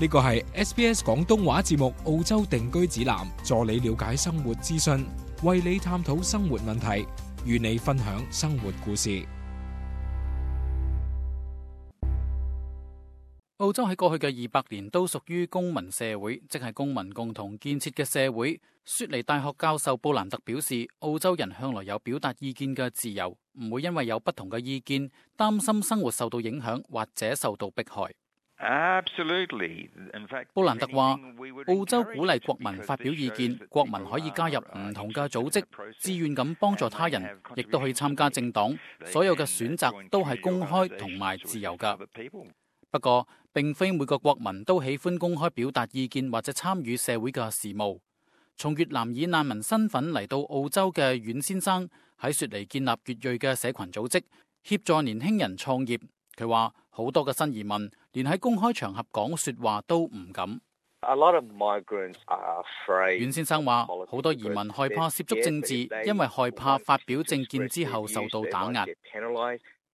呢個係 SBS 廣東話節目澳洲定居指南，助你了解生活資訊，為你探討生活問題，與你分享生活故事。澳洲喺過去嘅200年都屬於公民社會，即係公民共同建設嘅社會。雪梨大學教授布蘭特表示，澳洲人向來有表達意見嘅自由，唔會因為有不同嘅意見，擔心生活受到影響或者受到迫害。布蘭特話，澳洲鼓勵國民發表意見，國民可以加入唔同嘅組織，自願咁幫助他人，亦都可以參加政黨，所有嘅選擇都係公開同埋自由㗎。不過，並非每個國民都喜歡公開表達意見或者參與社會嘅事務。從越南以難民身份嚟到澳洲嘅阮先生喺雪梨建立越裔嘅社群組織，協助年輕人創業。佢話好多嘅新移民連喺公開場合講說話都唔敢。阮先生話好多移民害怕涉足政治，因為害怕發表政見之後受到打壓。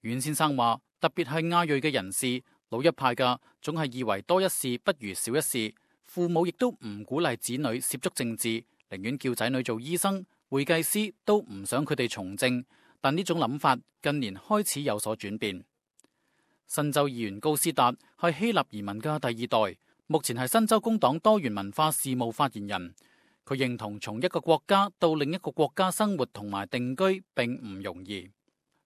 阮先生話特別係亞裔嘅人士，老一派嘅總係以為多一事不如少一事，父母亦都唔鼓勵子女涉足政治，寧願叫仔女做醫生、會計師，都唔想佢哋從政。但呢種諗法近年開始有所轉變。新州議員高斯達係希臘移民嘅第2代，目前係新州工黨多元文化事務發言人。佢認同從一個國家到另一個國家生活同埋定居並唔容易。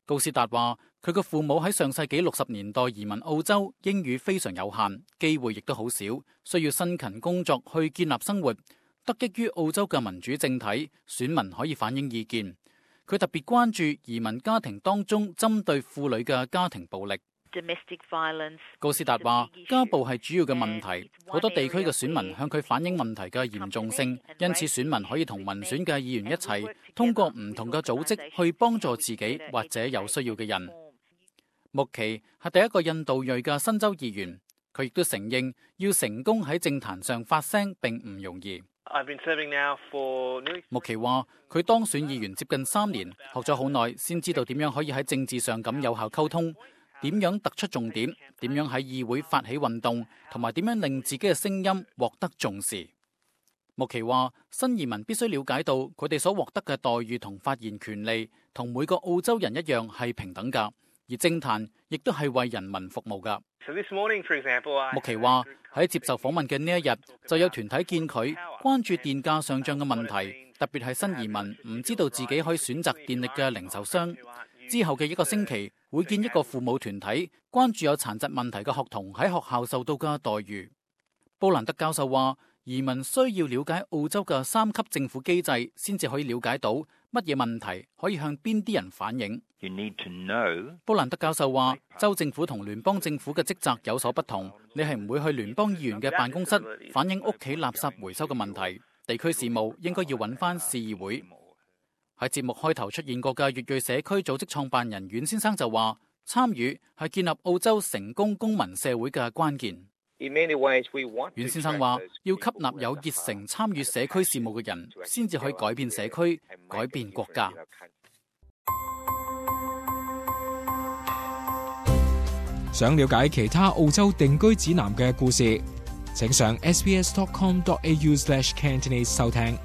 高斯達話佢嘅父母喺上世紀60年代移民澳洲，英語非常有限，機會亦都好少，需要辛勤工作去建立生活。得益於澳洲嘅民主政體，選民可以反映意見。佢特別關注移民家庭當中針對婦女嘅家庭暴力。高斯達話家暴係主要嘅問題，好多地區嘅選民向佢反映問題嘅嚴重性，因此選民可以同民選嘅議員一齊，通過唔同嘅組織去幫助自己或者有需要嘅人。穆奇係第一個印度裔嘅新州議員，佢亦都承認要成功喺政壇上發聲並唔容易。穆奇話佢當選議員接近3年，學咗好耐先知道點樣可以喺政治上咁有效溝通，點樣突出重點，點樣喺議會發起運動，同埋點樣令自己嘅聲音獲得重視。穆奇話新移民必須了解到佢哋所獲得嘅待遇同發言權利同每個澳洲人一樣係平等㗎，而政壇亦都係為人民服務㗎。穆奇話喺接受訪問嘅呢一日，就有團體見佢關注電價上漲嘅問題，特別係新移民唔知道自己可以選擇電力嘅零售商。之後嘅1個星期，會見一個父母團體，關注有殘疾問題嘅學童喺學校受到嘅待遇。布蘭特教授話，移民需要了解澳洲嘅3級政府機制，先至可以了解到乜嘢問題可以向邊啲人反映。布蘭特教授話，州政府同聯邦政府嘅職責有所不同，你係唔會去聯邦議員嘅辦公室反映屋企垃圾回收嘅問題，地區事務應該要揾返市議會。喺節目開頭出現過嘅越裔社區組織創辦人阮先生就話，參與係建立澳洲成功公民社會嘅關鍵。阮先生話，要吸納有熱誠參與社區事務嘅人，先至可以改變社區，改變國家。想了解其他澳洲定居指南嘅故事，請上 sbs.com.au/Cantonese 收聽。